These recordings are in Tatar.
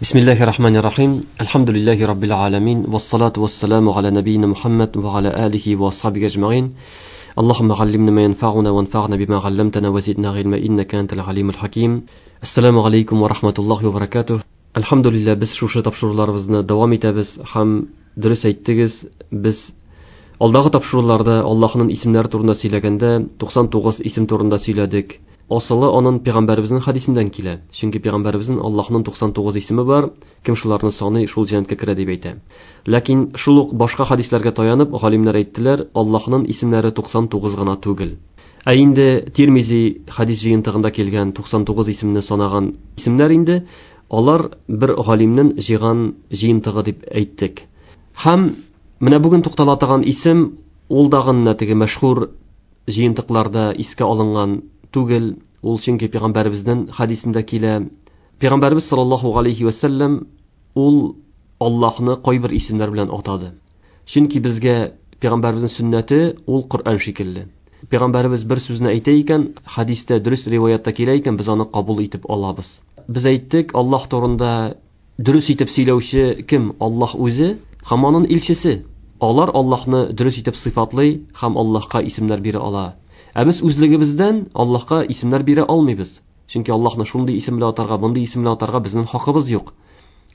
Бисмиллахи рахмани рахим. Әлхәмдүлилләһи раббил аламин. Вассалату вассаламу аля набийна Мухаммад ва аля алихи ва асхабихи ажмаин. Аллахумма аллимна ма янфа'уна ванфa'на бима 'алламтана ва зидна гыйльма иннака антал алимул хаким. Ассаламу алейкум ва рахматуллахи ва баракатух. Әлхәмдүлилләһ, без шушы тапшыруларыбызны дәвам итәбез һәм дөрес әйттегез, без алдагы тапшыруларда Аллаһның исемнәре турында сөйләгәндә 99 исем турында сөйләдек. Асылы аның пәйгамбәребезнең хадисеннән килә. Чөнки пәйгамбәребезнең Аллаһның 99 исеме бар, кем шуларны саный, шул җәннәткә керә дип әйтә. Ләкин шул ук башка хадисләргә таянып, галимнәр әйттеләр, Аллаһның исемнәре 99 гына түгел. Ә инде Тирмизи хадис җыентыгында килгән 99 исемне санаган исемнәр инде алар бер галимнең җыйган җыентыгы дип әйттек. Һәм менә бүген туктала торган исем ул дагы теге мәшһүр җыентыкларда искә алынган түгел, ул чөнки пәйгамбәребезнең хадисендә килә. Пәйгамбәребез саллаллаһу алейхи ва саллям ул Аллаһны кайбер исемнәр белән атады. Чөнки безгә пәйгамбәребезнең сөннәте ул Коръән шикелле. Пәйгамбәребез бер сүзне әйтә икән, хадистә дөрес риваятта килә икән, без аны кабул итеп алабыз. Без әйттек, Аллаһ турында дөрес итеп сөйләүче кем? Аллаһ үзе һәм аның илчесе. Алар Аллаһны дөрес итеп сыйфатлый һәм Аллаһка исемнәр бирә ала. Ә без үзлегебездән Аллаһка исемнәр бирә алмыйбыз. Чөнки Аллаһны шундый исем белән атарга, мондый исем белән атарга безнең хакыбыз юк.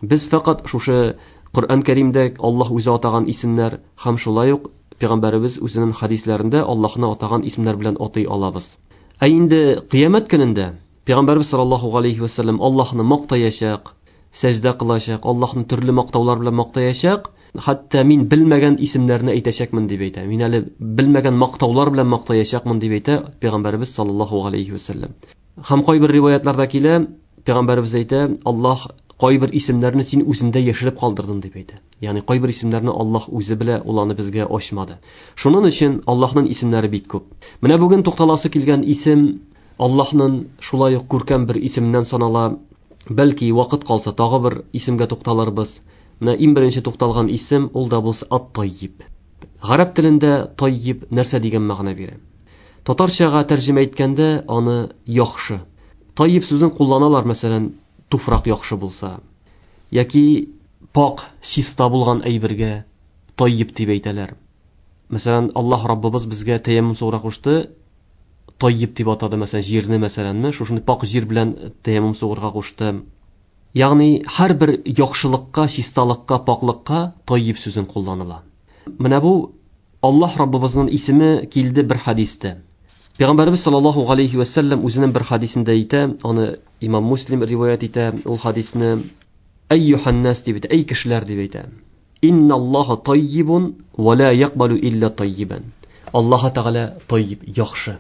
Без фәкать шушы Коръән Кәримдә Аллаһ үзе атаган исемнәр һәм шулай ук пәйгамбәребез үзенең хадисләрендә Аллаһны атаган исемнәр белән атый алабыз. Ә инде кыямәт көнендә пәйгамбәребез саллаллаһу алейхи ва саллям Аллаһны мактаячак, сәҗдә кылачак, Аллаһны төрле мактаулар белән мактаячак, хәтта мин белмәгән исемнәрне әйтәчәкмен дип әйтә. Мин әле белмәгән мактаулар белән мактаячакмын дип әйтә пәйгамбәребез саллаллаһу алейхи ва саллям. Һәм кайбер риваятларда килә, пәйгамбәребез әйтә, Аллаһ кайбер исемнәрне син үзендә яшереп калдырдың дип әйтә. Ягъни кайбер исемнәрне Аллаһ үзе белә, ул аны безгә ачмады. Шуның өчен Аллаһның исемнәре бик күп. Менә бүген тукталасы килгән исем Аллаһның шулай ук күркәм бер исеменнән санала. Бәлки вакыт калса тагы бер исемгә тукталырбыз. Менә иң беренче тукталган исем ул да булса Ат-Таййиб. Гарәп телендә Таййиб нәрсә дигән мәгънә бирә? Татарчага тәрҗемә иткәндә аны яхшы. Таййиб сүзен кулланалар, мәсәлән, туфрак яхшы булса яки пак, чиста булган әйбергә Таййиб дип әйтәләр. Мәсәлән, Аллаһ Раббыбыз безгә тәяммум сугырга кушты, Таййиб дип атады, мәсәлән, җирне, мәсәләнме, шушындый пак җир белән тәяммум сугырга кушты. Ягъни һәрбер яхшылыкка, чисталыкка, паклыкка Таййиб сүзен кулланыла. Менә бу Аллаһ Раббыбызның исеме килде бер хадистә. Пәйгамбәребез саллаллаһу алейхи ва саллям үзенең бер хадисендә әйтә, аны имам Муслим риваять итә, ул хадисне Әйюхан нас дип әйтә, әй кешеләр дип әйтә. Инналлаһа таййибун ва ла якбалу илля таййибан. Аллаһ Тәгалә таййиб, яхшы.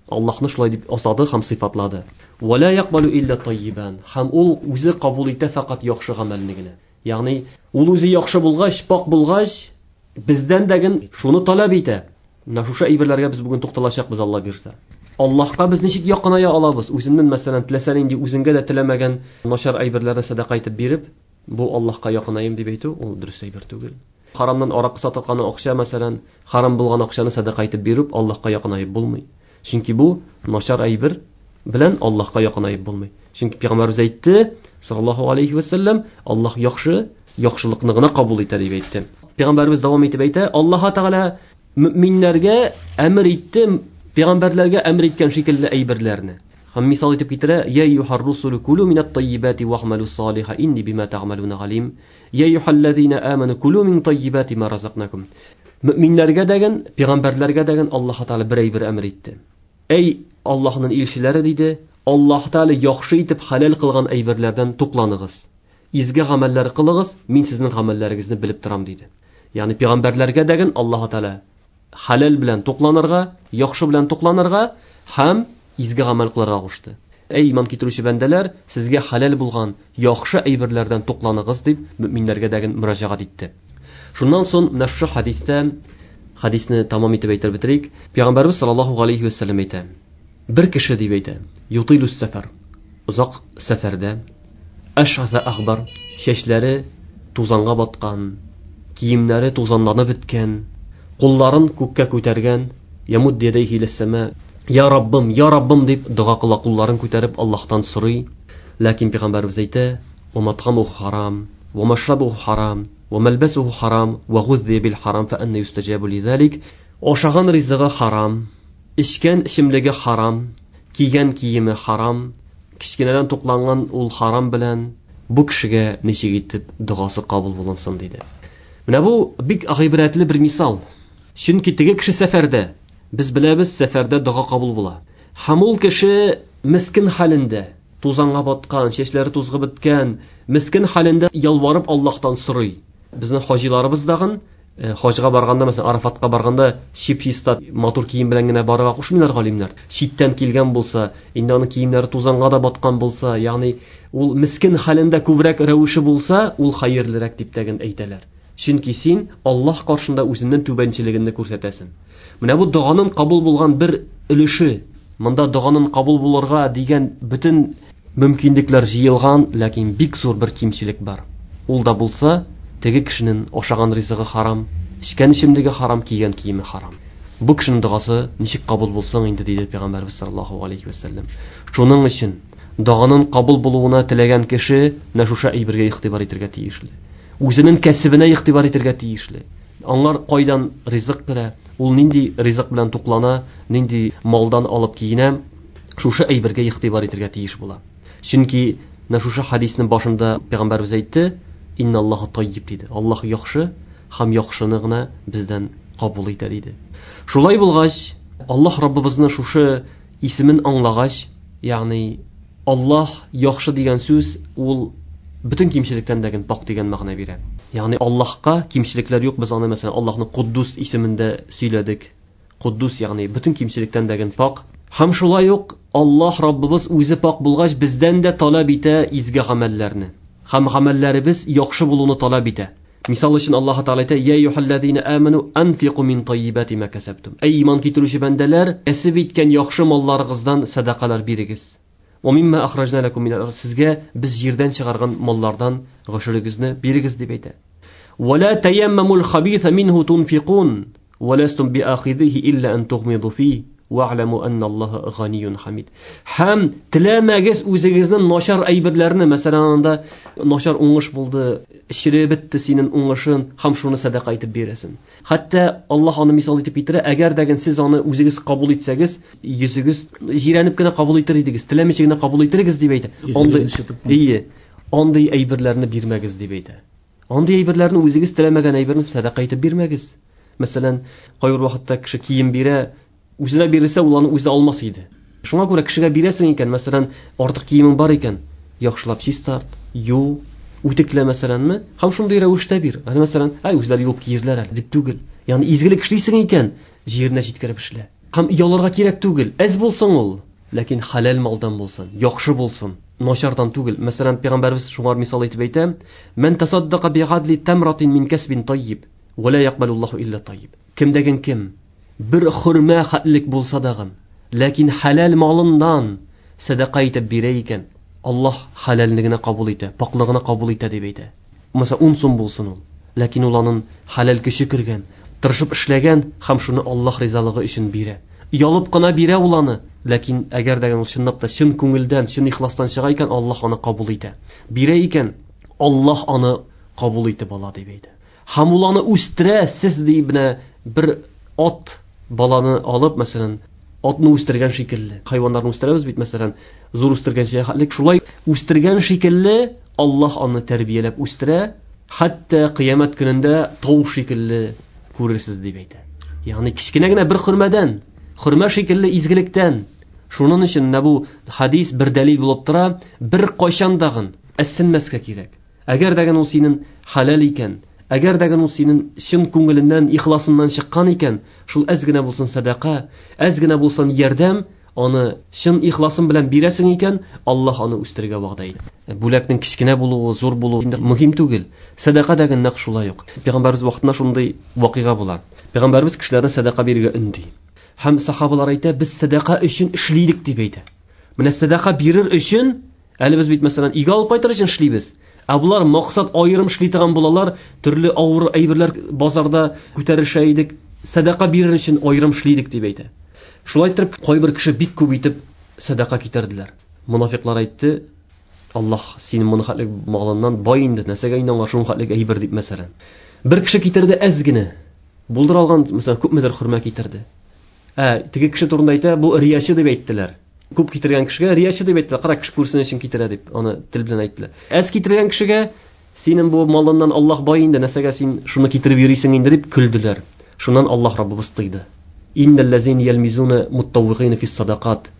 Аллаһны шулай дип атады һәм сыйфатлады. Ва ла якбалу илля таййибан. Һәм ул үзе кабул итә фәкать яхшы гамәлне генә. Ягъни ул үзе яхшы булгач, пак булгач, бездән дәген шуны таләп итә. Менә шушы әйберләргә без бүген тукталачакбыз, Алла бирсә. Аллаһка без ничек якыная алабыз? Үзеннән, мәсәлән, теләсә нинди үзеңгә дә теләмәгән начар әйберләрне сәдака итеп биреп, бу Аллаһка якынаем дип әйтү, ул дөрес әйбер түгел. Харамнан аракы сатылган акча, мәсәлән, харам булган акчаны сәдака итеп биреп, Аллаһка якынаеп булмый. Чөнки бу начар әйбер белән Аллаһка якынаеп булмый. Чөнки пәйгамбәребез әйтте, саллаллаһу алейхи ва саллям, Аллаһ яхшы, яхшылыкны гына кабул итә дип әйтте. Пәйгамбәребез дәвам итеп әйтә, Аллаһ Тәгалә мөминнәргә әмер итте, пәйгамбәрләргә әмер иткән шикелле әйберләрне. Һәм мисал итеп китерә, Я юхар русулу кулу минат таййибати ва'малу салиха инни бима та'малуна галим. Я юхаллазина аману кулу мин таййибати ма разакнакум. Мөминнәргә дәген, пәйгамбәрләргә дәген Аллаһ Тәгалә бер әйбер әмер итте. Әй Аллаһның илчеләре диде, Аллаһ Тәгалә яхшы итеп хәләл кылган әйберләрдән тукланыгыз. Изге гамәлләр кылыгыз, мин сезнең гамәлләрегезне белеп торам диде. Ягъни пәйгамбәрләргә дәген Аллаһ Тәгалә хәләл белән тукланырга, яхшы белән тукланырга һәм изге гамәл кылырга кушты. Әй иман китерүче бәндәләр, сезгә хәләл булган яхшы әйберләрдән тукланыгыз дип мөминнәргә дәген мөрәҗәгать итте. Шуннан соң менә шушы хадистә, хадисне тамам итеп әйтеп бетерик. Пәйгамбәрбез саллаллаһу алейхи ва саллям әйтә. Бер кеше дип әйтә, ютилус сәфәр. Озак сәфәрдә, ашаса ахбар, чәчләре тузанга баткан, киемнәре тузанланып беткән, кулларын күккә күтәргән, ямуд ядайхи иләс-сама, я Раббым, я Раббым дип дога кыла, кулларын күтәреп Аллаһтан сорый. Ләкин пәйгамбәребез әйтә, ومطعمه حرام ومشربه حرام وملبسه حرام وغذي بالحرام فأنى يستجاب لذلك. Ашаган ризыгы харам, эчкән эчемлеге харам, кигән киеме харам, кечкенәдән тукланган ул харам белән, бу кешегә ничек итеп догасы кабул булынсын, диде. Менә бу бик гыйбрәтле бер мисал. Чөнки теге кеше сәфәрдә, без беләбез, сәфәрдә дога кабул була. Һәм ул кеше мискен хәлендә, тузанга баткан, чәчләре тузгып беткән, мискен хәлендә ялварып Аллаһтан сорый. Безнең хаҗиларыбыз дагын, хаҗга барганда, мәсәлән, Арафатка барганда чип-чиста матур кием белән генә барырга кушмыйлар галимнәр. Читтән килгән булса, инде аның киемнәре тузанга да баткан булса, ягъни ул мискен хәлендә күбрәк рәвеше булса, ул хәерлерәк дип тәген әйтәләр. Чөнки син Аллаһ каршында үзеңнең түбәнчелегеңне күрсәтәсең. Менә бу доганың кабул булган бер өлеше. Монда доганың кабул булырга дигән бөтен мөмкинлекләр җыелган, ләкин бик зур бер кимчелек бар. Ул да булса, теге кешенең ашаган ризыгы харам, эчкән эчемлеге харам, кигән киеме харам. Бу кешенең догасы ничек кабул булсын инде, диде Пәйгамбәрбез саллаллаһу алейхи ва сәлләм. Шуның өчен доганың кабул булуына теләгән кеше менә шушы әйбергә игътибар итәргә тиешле. Үзенең кәсебенә игътибар итәргә тиешле. Аңар кайдан ризык керә, ул нинди ризык белән туклана, нинди малдан алып киенә, шушы әйбергә игътибар итәргә тиеш була. Чөнки менә шушы хадиснең башында Пәйгамбәрбез әйтте, Инналлаһу таййиб диде. Аллаһ яхшы һәм яхшыны гына бездән кабул итә диде. Шулай булгач, Аллаһ Раббыбызның шушы исемен аңлагач, ягъни Аллаһ яхшы дигән сүз ул бөтен кимчелектән дә пак дигән мәгънә бирә. Ягъни Аллаһка кимчелекләр юк, без аны мәсәлән Аллаһның Куддус исемендә сөйләдек. Куддус, ягъни бөтен кимчелектән дә пак. Һәм шулай ук Аллаһ Раббыбыз үзе пак булгач, бездән дә таләп итә изге гамәлләрне. Һәм гамәлләребез яхшы булуны таләп итә. Мисал өчен Аллаһ Тәгалә әйтә: "Я әйюһәлләзина аману анфику мин таййибати ма касабтум." Әй иман китерүче бәндәләр, кәсеп иткән яхшы малларыгыздан сәдакалар бирегез. Ва мимма ахраҗна лакум минәл ард. Сезгә без җирдән чыгарган маллардан гошерегезне бирегез дип әйтә. Ва ла таяммамул хабиса минһу тунфикун ва ластум биахизихи илла ан тугмиду фи ва'ламу анналлаһа ганиюн хамид. Һәм теләмәгез үзегезнең начар әйберләрне, мәсәлән, анда начар уңыш булды, череп бетте синең уңышын, һәм шуны сәдака итеп бирәсең. Хәтта Аллаһ аны мисал итеп китерә, әгәр дә сез аны үзегез кабул итсәгез, йөзегез җирәнеп кенә кабул итер идегез, теләмичә генә кабул итерегез дип әйтә. Андый әйберләрне бирмәгез дип әйтә. Андый әйберләрне үзегез теләмәгән әйберне сәдака итеп бирмәгез. Мәсәлән, кайбер вакытта кеше кием бирә, үзенә бирелсә, ул аны үзе алмас иде. Шуңа күрә кешегә бирәсең икән, мәсәлән, артык киемең бар икән, яхшылап чистарт, ю, үтеклә мәсәләнме, һәм шундый рәвештә бир. Әнә мәсәлән, әй үзләре юып киерләр әле дип түгел. Ягъни изгелек эшлисең икән, җиренә җиткереп эшлә. Һәм яларга кирәк түгел. Әз булсын ул, ләкин хәләл малдан булсын, яхшы булсын, начардан түгел. Мәсәлән, пәйгамбәрбез шуңа мисал итеп әйтә: "Ман тасаддака би'адли тамратин мин касбин таййиб, ва ла якбалуллаһу илля таййиб." Кемдәген кем бер хөрмә хәтлек булса дагын, ләкин хәләл малыннан сәдака итеп бирә икән, Аллаһ хәләлне генә кабул итә, паклыгына кабул итә дип әйтә. Мәсәлән, 10 сум булсын ул, ләкин ул аның хәләл көче кергән, тырышып эшләгән һәм шуны Аллаһ ризалыгы өчен бирә. Ялып кына бирә ул аны, ләкин әгәр дә ул чынлап та чын күңелдән, чын ихластан чыга икән, Аллаһ аны кабул итә. Бирә икән, Аллаһ аны кабул итеп ала дип әйтә. Һәм ул аны үстерә, сез ди менә бер ат баланы алып, мәсәлән, атны үстергән шикелле. Хайваннарны үстерәбез бит, мәсәлән, зур үстергәнчә хәтлек шулай үстергән шикелле Аллаһ аны тәрбияләп үстерә, хәтта кыямәт көнендә тау шикелле күрерсез дип әйтә. Ягъни кечкенә генә бер хөрмәдән, хөрмә шикелле изгелектән. Шуның өчен менә бу хадис бер дәлил булып тора, бер кайчан дагын әссенмәскә кирәк. Әгәр дә ул синең хәләл икән, әгәр дә ул синең чын күңеленнән, ихласыннан чыккан икән, шул әз генә булсын сәдака, әз генә булсын ярдәм, аны чын ихласың белән бирәсең икән, Аллаһ аны үстерергә вәгъдә итә. Бүләкнең кечкенә булуы, зур булуы инде мөһим түгел. Сәдака да нәкъ шулай ук. Пәйгамбәрбез вакытында шундый вакыйга була. Пәйгамбәрбез кешеләрне сәдака бирергә өнди. Һәм сахабалар әйтә, без сәдака өчен эшлидек дип әйтә. Менә сәдака бирер өчен, әле без бит мәсәлән өйгә алып кайтыр өчен эшлибез. Ә булар максат аерым эшли торган булалар, төрле авыр әйберләр базарда күтәрешә идек, сәдака бирер өчен аерым эшлидек дип әйтә. Шулай итеп, кайбер кеше бик күп итеп сәдака китерделәр. Мунафиклар әйтте: Аллаһ синең моны хәтлек малыннан бай инде, нәрсәгә инде аңа шуның хәтлек әйбер дип мәсәлән. Бер кеше китерде әз генә. Булдыра алган, мәсәлән, күпмедер хөрмә китерде. Ә теге кеше турында әйтә, бу рияче дип әйттеләр. Күп китергән кешегә рияче дип әйттеләр. Кара, кеше күрсен өчен китерә дип, аны тел белән әйттеләр. Әз китергән кешегә синең бу малыннан Аллаһ бай инде, нәрсәгә син шуны китереп йөрисең инде дип көлделәр. Шуннан Аллаһ Раббыбыз тыйды. Иннәлләзина ялмизуна муттаввигина фис садакат.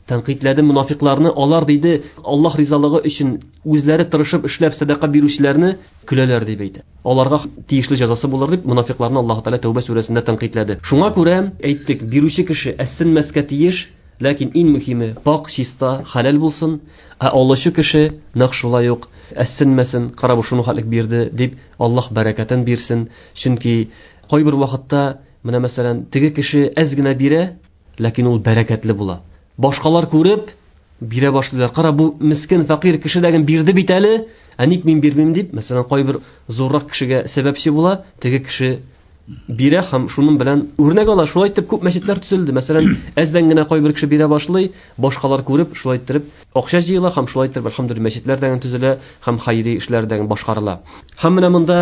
Тәнкыйтьләде мунафикларны, алар диде, Аллаһ ризалыгы өчен үзләре тырышып эшләп садака бирүчеләрне көләләр дип әйтә. Аларга тиешле җәзасы булыр дип мунафикларны Аллаһ Тәгалә Тәүбә сүрәсендә тәнкыйтьләде. Шуңа күрә әйттек, бирүче кеше әссенмәскә тиеш, ләкин иң мөһиме пак, чиста, хәләл булсын, ә алучы кеше нәкъ шулай ук әссенмәсен, кара бу шуны хәтлек бирде дип Аллаһ бәрәкәтен бирсен. Чөнки кайбер вакытта менә мәсәлән теге кеше әз генә бирә, ләкин ул бәрәкәтле була. Башкалар күреп бирә башлыйлар. Кара, бу мискен фәкыйрь кеше дәген бирде бит әле, ә ник мин бирмим дип, мәсәлән, кайбер зуррак кешегә сәбәпче була, теге кеше бирә һәм шуның белән үрнәк ала. Шулай итеп күп мәчетләр төзелде. Мәсәлән, әздән генә кайбер кеше бирә башлый, башкалар күреп, шулай иттереп акча җыела һәм шулай иттереп әлхәмдүлилләһ мәчетләр дәген төзелә һәм хайри эшләр дәген башкарыла. Һәм менә монда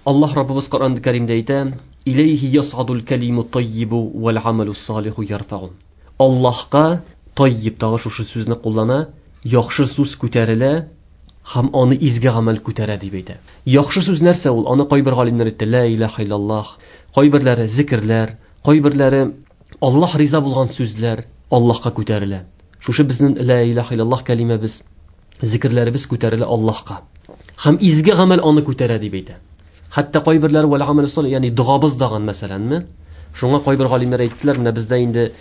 Аллаһ Раббыбыз Коръән Кәримдә әйтә: "Иләйһи ясадул калиму таййибу вал амалу салиху ярфагу." Аллаһка таййиб тагы шушы сүзне куллана, яхшы сүз күтәрелә һәм аны изге гамәл күтәрә дип әйтә. Яхшы сүз нәрсә ул? Аны кайбер галимнәр әйтте, ла илаһа иллаллаһ, кайберләре зикерләр, кайберләре Аллаһ риза булган сүзләр Аллаһка күтәрелә. Шушы безнең ла илаһа иллаллаһ кәлимәбез, зикерләребез күтәрелә Аллаһка. Һәм изге гамәл аны күтәрә дип әйтә. Хәтта кайберләре вәл амалу салих, ягъни догабыз даган мәсәләнме? Шуңа кайбер галимнәр әйттеләр, менә бездә инде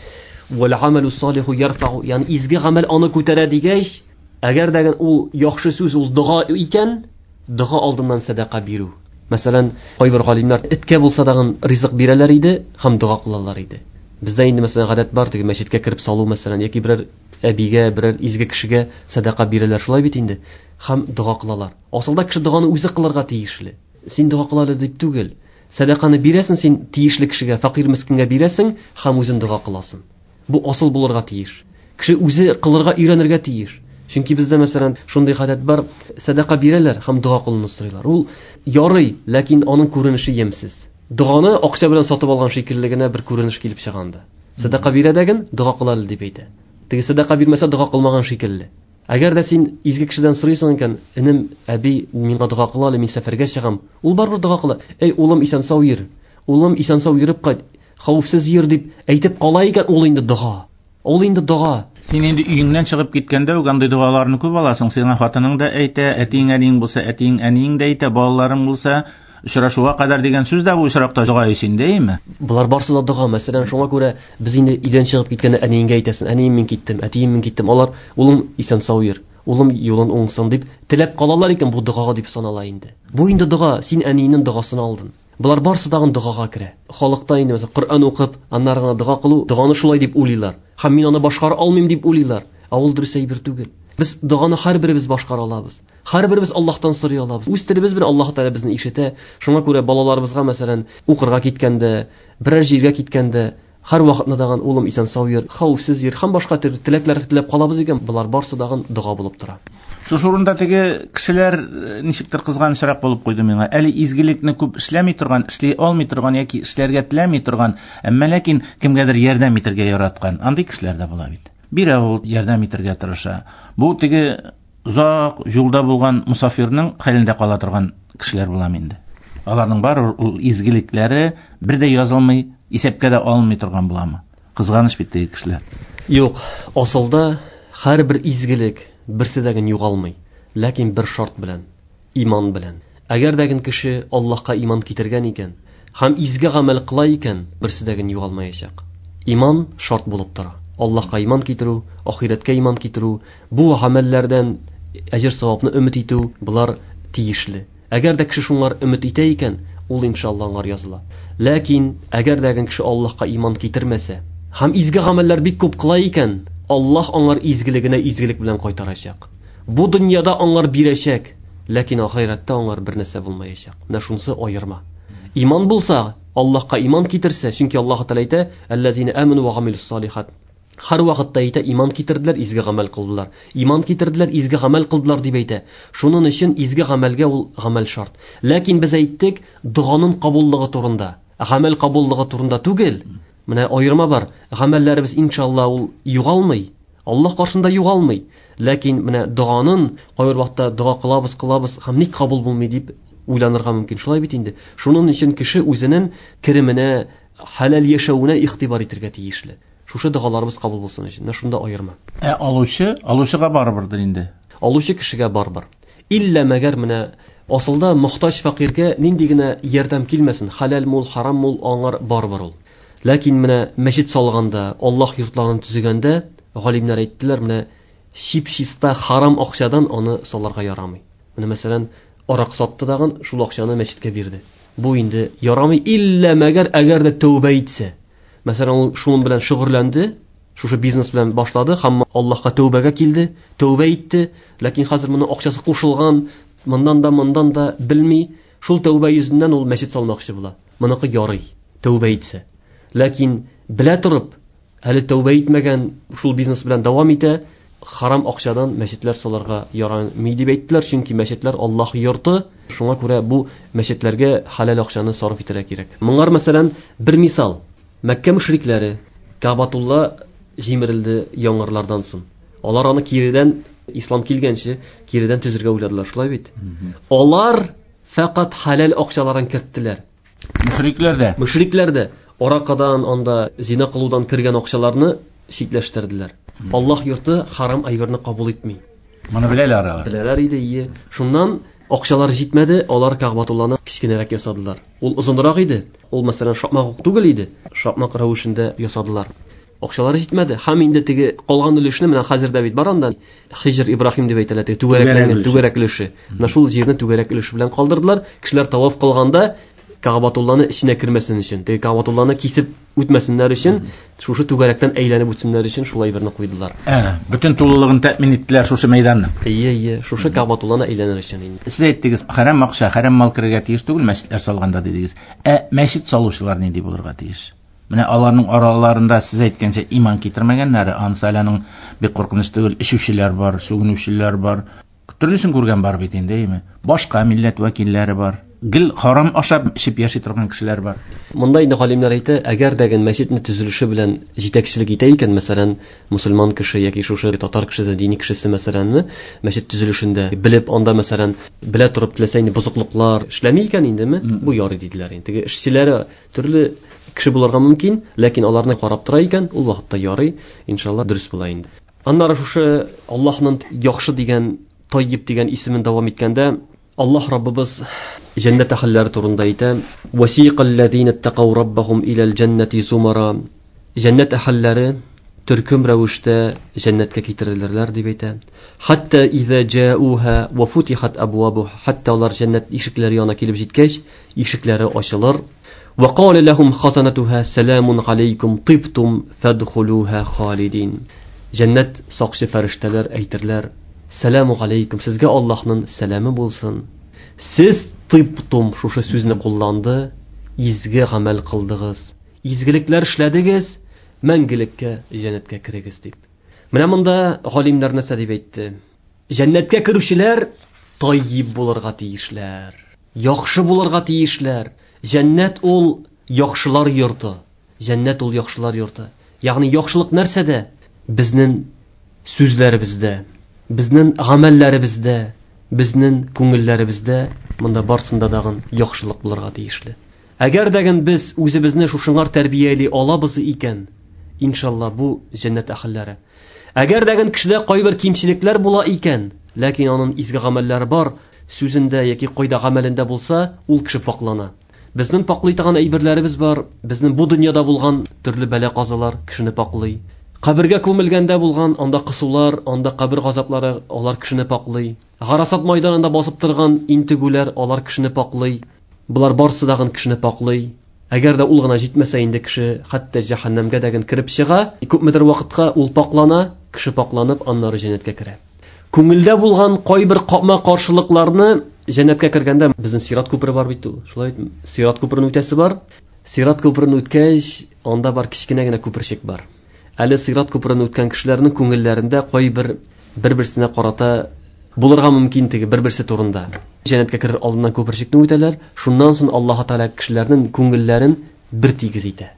вәл амалу салиху ярфау, ягъни изге гамәл аны күтәрә дигәч, әгәр дә ул яхшы сүз ул дога икән, дога алдыннан сәдака бирү. Мәсәлән, кайбер галимнәр эткә булса дагын ризык бирәләр иде һәм дога кылалар иде. Бездә инде мәсәлән гадәт бар, теге мәчеткә кереп салу мәсәлән, яки берәр әбигә, берәр изге кешегә сәдака бирәләр, шулай бит инде. Һәм дога кылалар. Асылда кеше доганы үзе кылырга тиешле. Син дога кыл әле дип түгел. Сәдаканы бирәсең син тиешле кешегә, фәкыйрь мескенгә бирәсең һәм үзен дога кыласың. Бу асыл булырга тиеш. Кеше үзе кылырга өйрәнергә тиеш. Чөнки бездә мәсәлән шундый гадәт бар, сәдака бирәләр һәм дога кылуны сорыйлар. Ул ярый, ләкин аның күренеше ямьсез. Доганы акча белән сатып алган шикелле генә бер күренеш килеп чыга анда. Сәдака бирә дәген, дога кыл әле дип әйтә. Теге сәдака бирмәсә дога кылмаган шикелле. Әгәр дә син изге кешедән сорыйсың икән, энем, әби, миңа дога кыл әле, мин сәфәргә чыгам. Ул барыбер дога кыла. Эй, улым, исән-сау йөр. Улым, исән-сау йөреп кайт. Хәвефсез йөр дип әйтеп кала икән, ул инде дога. Ул инде дога. Син инде өеңнән чыгып киткәндә үк андый догаларны күп аласың. Сиңа хатының да әйтә, әтиең, әниең булса, әтиең, әниең дә әйтә, балаларың булса, очрашуга кадәр дигән сүз дә бу очракта дога ич инде, әйеме? Болар барсы да дога. Мәсәлән, шуңа күрә без инде өйдән чыгып киткәндә әниеңгә әйтәсең, әнием мин киттем, әтием мин киттем. Алар, улым исән-сау йөр, улым юлын уңсын дип теләп калалар икән, бу догага дип санала инде. Бу инде дога, син әниеңнең догасын алдың. Болар барсы тагын догага керә. Халыкта инде мәсәлән Коръән укып, аннары гына дога кылу, доганы шулай дип уйлыйлар. Һәм мин аны башкара алмыйм дип уйлыйлар. Ә ул дөрес әйбер түгел. Без доганы һәрберебез башкара алабыз. Һәрберебез Аллаһтан сорый алабыз. Үз телебез белән Аллаһ Тәгалә безне ишетә. Шуңа күрә балаларыбызга мәсәлән укырга киткәндә, берәр җиргә киткәндә, һәр вакытны дагын улым исән-сау йөр, хәвефсез йөр һәм башка төрле теләкләр теләп калабыз икән, болар барсы дагын дога булып тора. Шушы урында теге кешеләр ничектер кызганычрак булып куйды миңа. Әле изгелекне күп эшләми торган, эшли алмый торган яки эшләргә теләми торган, әмма ләкин кемгәдер ярдәм итәргә яраткан андый кешеләр дә була бит. Бирә ул, ярдәм итәргә тырыша. Бу теге озак юлда булган мусафирның хәлендә кала торган кешеләр була инде. Аларның барыбер ул изгелекләре бер дә язылмый, исәпкә дә алынмый торган буламы? Кызганыч бит теге кешеләр. Юк, асылда һәрбер изгелек берсе дә генә югалмый, ләкин бер шарт белән, иман белән. Әгәр дә кеше Аллаһка иман китергән икән һәм изге гамәл кыла икән, берсе дә генә югалмаячак. Иман шарт булып тора. Аллаһка иман китерү, ахирәткә иман китерү, бу гамәлләрдән әҗер савапны өмет итү, болар тиешле. Әгәр дә кеше шуңар өмет итә икән, ул иншалла аңар языла. Ләкин әгәр дә кеше Аллаһка иман китермәсә һәм изге гамәлләр бик күп кыла икән, Аллаһ аңар изгелегенә изгелек белән кайтарачак. Бу дөньяда аңар бирәчәк, ләкин ахирәттә аңар бер нәрсә булмаячак. Менә шунысы аерма. Иман булса, Аллаһка иман китерсә, чөнки Аллаһ Тәгалә әйтә: "Әлләзина аману ва гамилус салихат". Һәр вакытта әйтә, иман китерделәр, изге гамәл кылдылар. Иман китерделәр, изге гамәл кылдылар дип әйтә. Шуның өчен изге гамәлгә ул гамәл шарт. Ләкин без әйттек, доганың кабуллыгы турында, гамәл кабуллыгы турында түгел. Менә аерма бар. Гамәлләребез иншалла ул югалмый. Аллаһ каршында югалмый. Ләкин менә доганың кайбер вакытта дога кылабыз, кылабыз һәм ник кабул булмый дип уйланырга мөмкин. Шулай бит инде. Шуның өчен кеше үзенең кеременә, хәләл яшәвенә игътибар итәргә тиешле. Шушы догаларыбыз кабул булсын өчен. Менә шунда аерма. Ә алучы, алучыга барыбердер инде. Алучы кешегә барыбер. Иллә мәгәр менә асылда мохтаҗ фәкыйрьгә нинди генә ярдәм килмәсен, хәләл мул, харам мул, аңар барыбер ул. Ләкин менә мәчет салганда, Аллаһ йортларын төзегәндә, галимнәр әйттеләр, менә чип-чиста харам акчадан аны салырга ярамый. Менә мәсәлән, арак сатты дагын, шул акчаны мәчеткә бирде. Бу инде ярамый, иллә мәгәр әгәр дә тәүбә итсә. Мәсәлән, ул шуның белән шөгыльләнде, шушы бизнес белән башлады һәм Аллаһка тәүбәгә килде, тәүбә итте, ләкин хәзер моның акчасы кушылган, моннан да, моннан да белми, шул тәүбә йөзеннән ул мәчет салмакчы була. Моныкы ярый, тәүбә итсә. Ләкин белә торып, әле тәүбә итмәгән, шул бизнес белән дәвам итә, харам акчадан мәчетләр салырга ярамый дип әйттеләр, чөнки мәчетләр Аллаһ йорты, шуңа күрә бу мәчетләргә хәләл акчаны сарыф итәргә кирәк. Моңар мәсәлән, бер мисал. Мәккә мөшрикләре Кабатулла җимерелде яңгырлардан соң. Алар аны киредән, ислам килгәнче, киредән төзергә уйладылар, шулай бит? Алар фәкать хәләл акчаларын керттеләр. Мөшрикләр дә. Мөшрикләр дә аракадан, анда зина кылудан кергән акчаларны читләштерделәр. Аллаһ йорты харам әйберне кабул итми. Моны беләләр алар. Беләләр иде, ие. Шуннан акчалар җитмәде, алар Кәгъбатулланы кечкенәрәк ясадылар. Ул озынрак иде. Ул мәсәлән шакмак ук түгел иде. Шакмак рәвешендә ясадылар. Акчалары җитмәде. Һәм инде теге калган өлешне менә хәзер дә бит бар анда Хиҗр Ибраһим дип әйтәләр, теге түгәрәкләнгән түгәрәк өлеше. Менә шул җирне түгәрәк өлеше белән калдырдылар. Кешеләр таваф кылганда Кәгъбатулланы эченә кермәсен өчен, теге Кәгъбатулланы кисеп үтмәсеннәр өчен, шушы түгәрәктән әйләнеп үтсеннәр өчен шулай берне куйдылар. Бөтен тулылыгын тәэмин иттеләр шушы мәйданның. Ие, ие, шушы Кәгъбатулланы әйләнер өчен инде. Сез әйттегез, харам акча, харам мал керергә тиеш түгел мәчетләр салганда дидегез. Ә мәчет салучылар нинди булырга тиеш? Менә аларның араларында сез әйткәнчә иман китермәгәннәре, анысы әле аның бик куркыныч түгел, эчүчеләр бар, сүгенүчеләр бар. Төрлесен күргән бар бит инде, әйеме? Башка милләт вәкилләре бар. Гел харам ашап, эчеп яши торган кешеләр бар. Монда инде галимнәр әйтә, әгәр дә мәчетне төзелеше белән җитәкчелек итә икән, мәсәлән, мусульман кеше яки шушы татар кешесе, дини кешесе, мәсәләнме, мәчет төзелешендә белеп, анда, мәсәлән, белә торып теләсә инде бозыклыклар эшләми икән индеме, бу ярый диделәр инде. Теге эшчеләре төрле кеше булырга мөмкин, ләкин аларны карап тора икән, ул вакытта ярый, иншалла, дөрес була инде. Аннары шушы Аллаһның яхшы дигән, Таййиб дигән исемен дәвам иткәндә, Аллаһ Раббыбыз җәннәт әһелләре турында әйтә: "Васиқаллазина иттакау раббахум илал җәннәти зумара". Җәннәт әһелләре төркем рәвештә җәннәткә китерелерләр дип әйтә. Хатта иза җаауха ва футихат абвабуха, хатта алар җәннәт ишекләре янына килеп җиткәч, ишекләре ачылыр. Ва кала лахум хазанатуха саламун алейкум тибтум фадхулуха халидин. Җәннәт сакчы фәрештәләр әйтерләр: "Саламу алейкум, сезгә Аллаһның сәламе булсын. Сез тибтум шушы сүзне кулланды, изге гамәл кылдыгыз, изгелекләр эшләдегез, мәңгелеккә җәннәткә керегез" дип. Менә монда галимнәр нәрсә дип әйтте? Җәннәткә керүчеләр таййиб булырга тиешләр, яхшы булырга тиешләр. Җәннәт ул яхшылар йорты. Җәннәт ул яхшылар йорты. Ягъни яхшылык нәрсәдә? Безнең сүзләребездә, безнең гамәлләребездә, безнең күңелләребездә, монда барсында дагын яхшылык булырга тиешле. Әгәр дәген без үзебезне шушыңар тәрбияли алабыз икән, иншалла бу җәннәт әһелләре. Әгәр дәген кешедә кайбер кимчелекләр була икән, ләкин аның изге гамәлләре бар, сүзендә яки кайда гамәлендә булса, ул кеше паклана. Безнең паклый торган әйберләребез бар, безнең бу дөньяда булган төрле бәла-казалар кешене паклый. Кабергә күмелгәндә булган анда кысулар, анда кабер газаплары, алар кешене паклый. Гарасат майданында басып торган интегүләр, алар кешене паклый. Булар барсы дагын кешене паклый. Әгәр дә ул гына җитмәсә инде кеше хәтта җәһәннәмгә дәген кереп чыга, күпмедер вакытка ул паклана, кеше пакланып аннары җәннәткә керә. Күңелдә булган кайбер капма-каршылыкларны җәннәткә кергәндә безнең сират күпере бар бит ул. Шулай бит, сират күперен үтәсе бар. Сират күперен үткәч, анда бар кечкенә генә күперчек бар. Әле сират күперен үткән кешеләрнең күңелләрендә кайбер бер-берсенә карата булырга мөмкин теге бер-берсе турында. Җәннәткә керер алдыннан күперчекне үтәләр, шуннан соң Аллаһ Тәгалә кешеләрнең күңелләрен бер тигез итә.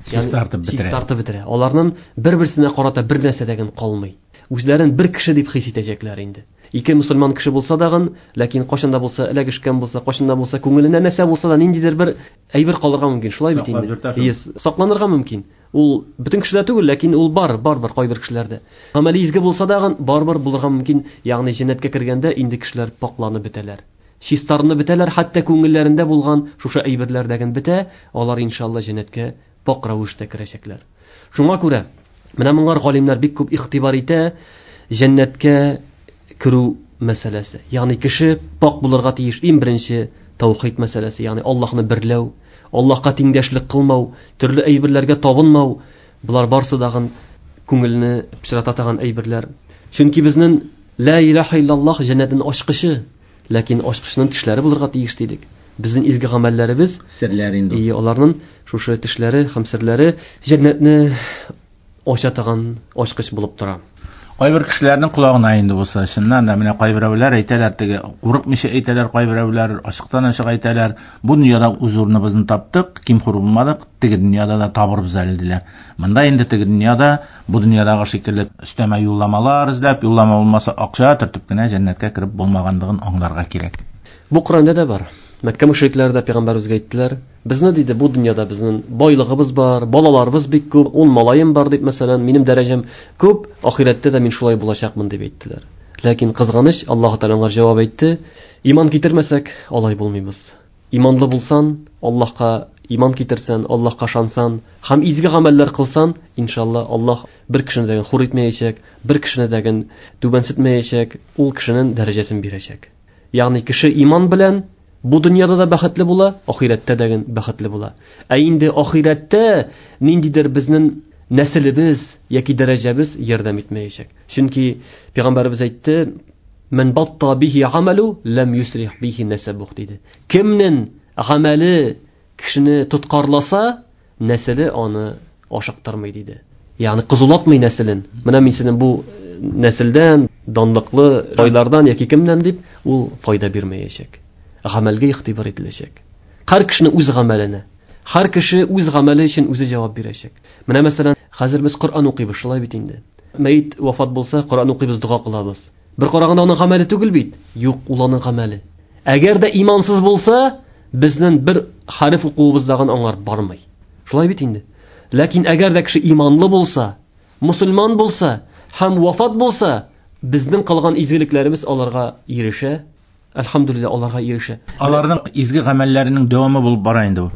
Чистартып бетерә. Чистартып бетерә. Аларның бер-берсенә карата бер нәрсә дә калмый. Үзләрен бер кеше дип хис итәчәкләр инде. Ике мусульман кеше булса дагын, ләкин кайчан да булса эләгешкән булса, кайчан да булса күңеленә нәрсә булса да ниндидер бер әйбер калырга мөмкин. Шулай бит инде. Сакланырга мөмкин. Ул бөтен кешедә түгел, ләкин ул бар, бар кайбер кешеләрдә. Гамәле изге булса дагын, барыбер булырга мөмкин. Ягъни җәннәткә кергәндә инде кешеләр пакланып бетәләр. Чистарынып бетәләр, хәтта күңелләрендә булган шушы әйберләрдәген бетә, алар иншалла җәннәткә пак рәвештә керәчәкләр. Шуңа күрә менә моңар галимнәр бик күп игътибар итә җәннәткә керү мәсьәләсе. Ягъни кеше пак булырга тиеш. Иң беренче таухид мәсьәләсе, ягъни Аллаһны берләү, Аллаһка тиңдәшлек кылмау, төрле әйберләргә табынмау, болар барсы дагын күңелне пычрата торган әйберләр. Чөнки безнең ла илаһа иллаллаһ җәннәтнең ачкычы, ләкин ачкычның тешләре булырга тиеш дидек. Безнең изге гамәлләребез серләр инде. И аларның шушы тешләре һәм серләре җәннәтне ача торган ачкыч булып тора. Кайбер кешеләрнең колагына инде булса, чыннан да менә кайберәүләр әйтәләр, теге курыкмыйча әйтәләр, кайберәүләр ачыктан-ачык әйтәләр, бу дөньяда үз урыныбызны таптык, ким-хур булмадык, теге дөньяда да табырбыз әле диләр. Монда инде теге дөньяда, бу дөньядагы шикелле өстәмә юлламалар эзләп, юллама булмаса акча төртеп кенә җәннәткә кереп булмаганлыгын аңларга кирәк. Бу Коръәндә дә бар. Мәккә мөшрикләре дә пәйгамбәребезгә әйттеләр, безне диде, бу дөньяда безнең байлыгыбыз бар, балаларыбыз бик күп, 10 малаем бар дип, мәсәлән, минем дәрәҗәм күп, ахирәттә дә мин шулай булачакмын дип әйттеләр. Ләкин кызганыч, Аллаһ Тәгалә аңар җавап әйтте, иман китермәсәк, алай булмыйбыз. Иманлы булсан, Аллаһка иман китерсән, Аллаһка ышансан һәм изге гамәлләр кылсан, иншалла Аллаһ бер кешене дә хур итмәячәк, бер кешене дә түбәнсетмәячәк, ул кешенең дәрәҗәсен бирәчәк. Ягъни кеше иман белән бу дөньяда да бәхетле була, ахирәттә дә бәхетле була. Ә инде ахирәттә ниндидер безнең нәселебез яки дәрәҗәбез ярдәм итмәячәк. Чөнки пәйгамбәребез әйтте, "Мен батта бихи амалу лам юсрих бихи насабух" диде. Кемнең гамәле кешене тоткарласа, нәселе аны ашыктырмый диде. Ягъни кызулатмый нәселен. Менә мин синең бу нәселдән, данлыклы байлардан яки кемнән дип, ул файда бирмәячәк. Гамәлгә игътибар ителәчәк. Һәр кешенең үз гамәленә. Һәр кеше үз гамәле өчен үзе җавап бирәчәк. Менә мәсәлән, хәзер без Коръән укыйбыз, шулай бит инде. Мәет вафат булса, Коръән укыйбыз, дога кылабыз. Бер караганда аның гамәле түгел бит. Юк, ул аның гамәле. Әгәр дә имансыз булса, безнең бер хәреф укуыбыздагын аңар бармый. Шулай бит инде. Ләкин әгәр дә кеше иманлы булса, мусульман булса һәм вафат булса, безнең кылган изгелекләребез аларга ирешә. Әлхәмдүлилләһ, аларга ирешә. Аларның изге гамәлләренең дәвамы булып бара инде ул.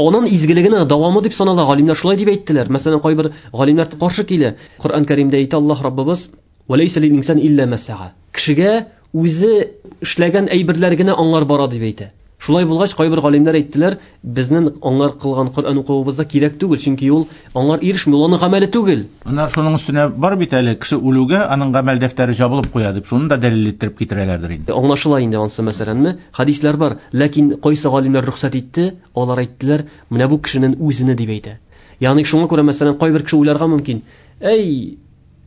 Аның изгелегенең дәвамы дип санала. Галимнәр шулай дип әйттеләр. Мәсәлән, кайбер галимнәр каршы килә. Коръән Кәримдә әйтә Аллаһ Раббыбыз: "Ва ләйсә лил инсан илля ма са'a." Кешегә үзе эшләгән әйберләр генә аңар бара дип әйтә. Шулай булгач, кайбер галимнәр әйттеләр, безнең аңар кылган Коръән укуыбызда кирәк түгел, чөнки ул аңар ирешми, ул аның гамәле түгел. Аннары шуның өстенә бар бит әле, кеше үлүгә аның гамәл дәфтәре җабылып куя дип, шуны да дәлил иттереп китерәләрдер инде. Аңлашыла инде ансы мәсәләнме? Хәдисләр бар, ләкин кайсы галимнәр рөхсәт итте, алар әйттеләр, менә бу кешенең үзене дип әйтә. Ягъни шуңа күрә мәсәлән, кайбер кеше уйларга мөмкин, әй,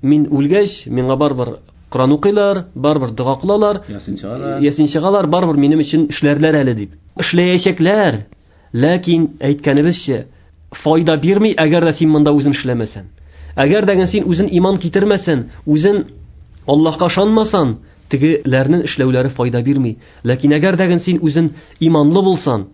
мин үлгәч, миңа барыбер Коръән укыйлар, барыбер дога кылалар, ясин чыгалар, барыбер минем өчен эшләрләр әле дип. Эшләячәкләр. Ләкин әйткәнебезчә, файда бирми, әгәр дә син монда үзең эшләмәсәң. Әгәр дә син үзең иман китермәсәң, үзең Аллаһка ышанмасаң, тегеләрнең эшләүләре файда бирми. Ләкин әгәр дә син үзең иманлы булсаң,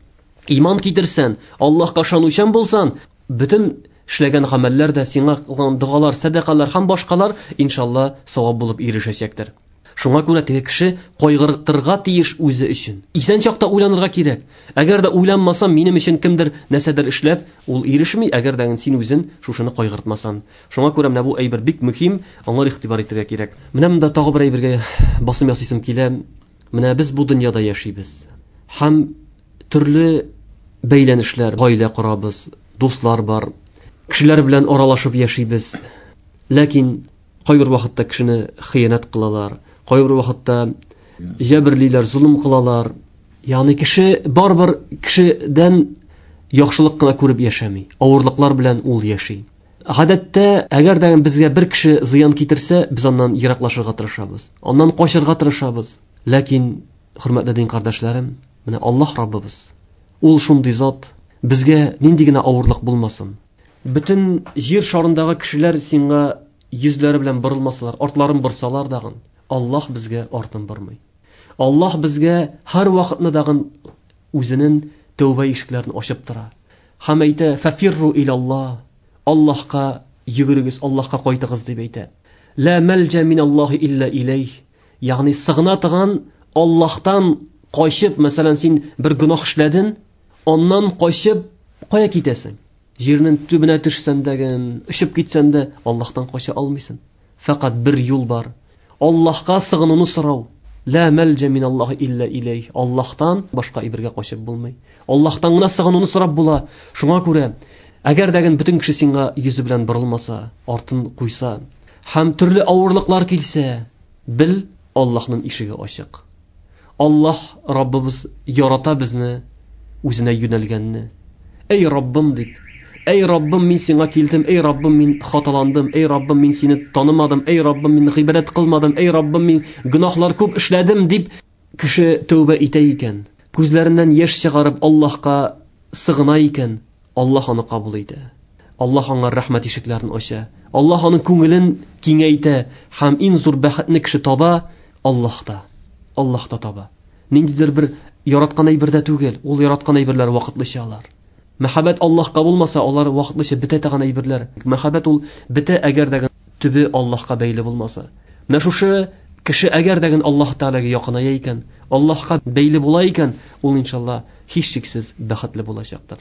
иман китерсәң, Аллаһка ышанучан булсаң, бөтен эшләгән гамәлләр дә сиңа кылган догалар, сәдакалар һәм башкалар иншалла савап булып ирешәчәктер. Шуңа күрә теге кеше кайгыртырга тиеш үзе өчен. Исән чакта уйланырга кирәк. Әгәр дә уйланмасам, минем өчен кемдер нәрсәдер эшләп, ул ирешми, әгәр дә син үзен шушыны кайгыртмасан. Шуңа күрә менә бу әйбер бик мөһим, аңар игътибар итәргә кирәк. Менә монда тагы бер әйбергә басым ясыйсым килә. Менә без бу дөньяда яшибез. Һәм төрле бәйләнешләр, гаилә корабыз, дуслар бар, кешеләр белән аралашып яшибез. Ләкин кайбер вакытта кешене хыянәт кылалар, кайбер вакытта җәберлиләр, золым кылалар. Ягъни кеше барыбер кешедән яхшылык кына күреп яшәми, авырлыклар белән ул яши. Гадәттә, әгәр дә безгә бер кеше зыян китерсә, без аннан ераклашырга тырышабыз, аннан качырга тырышабыз. Ләкин, хөрмәтле дин кардәшләрем, менә Аллаһ Раббыбыз, ул шундый зат, безгә нинди генә авырлык булмасын, бөтен җир шарындагы кешеләр сиңа йөзләре белән борылмасалар, артларын борсалар дагын, Аллаһ безгә артын бормый. Аллаһ безгә һәр вакытны дагын үзенең тәүбә ишекләрен ачып тора. Һәм әйтә: "Фафирру илаллаһ", Аллаһка йөгерегез, Аллаһка кайтыгыз дип әйтә. Ла мәлҗә миналлаһи илля иләйх. Ягъни сыгына торган Аллаһтан качып, мәсәлән, син бер гөнаһ эшләдең, аннан качып кая китәсең? Җирнең төбенә төшсән дә, очып китсән дә, Аллаһтан кача алмыйсың. Фәкать бер юл бар. Аллаһка сыгынуны сорау. Ла мәлҗә миналлаһи илля иләйх. Аллаһтан башка әйбергә качып булмый. Аллаһтан гына сыгынуны сорап була. Шуңа күрә, әгәр дә бөтен кеше сиңа йөзе белән борылмаса, артын куйса, һәм төрле авырлыклар килсә, бел, Аллаһның ишеге ачык. Аллаһ Раббыбыз ярата безне, үзенә юнәлгәнне. Эй Раббым дип, эй Раббым, мин сиңа килдем, эй Раббым, мин хаталандым, эй Раббым, мин сине танымадым, эй Раббым, мин гыйбадәт кылмадым, эй Раббым, мин гөнаһлар күп эшләдем дип кеше тәүбә итә икән, күзләреннән яшь чыгарып Аллаһка сыгына икән, Аллаһ аны кабул итә. Аллаһ аңа рәхмәт ишекләрен ача. Аллаһ аның күңелен киңәйтә һәм иң зур бәхетне кеше таба Аллаһта. Аллаһта таба. Ниндидер бер яраткан әйбердә түгел, ул яраткан әйберләр вакытлыча алар. Мәхәббәт Аллаһка булмаса, алар вакытлыча бетә торган әйберләр. Мәхәббәт ул бетә, әгәр дә төбе Аллаһка бәйле булмаса. Менә шушы кеше әгәр дә Аллаһ Тәгаләгә якыная икән, Аллаһка бәйле була икән, ул иншалла һичшиксез бәхетле булачактыр.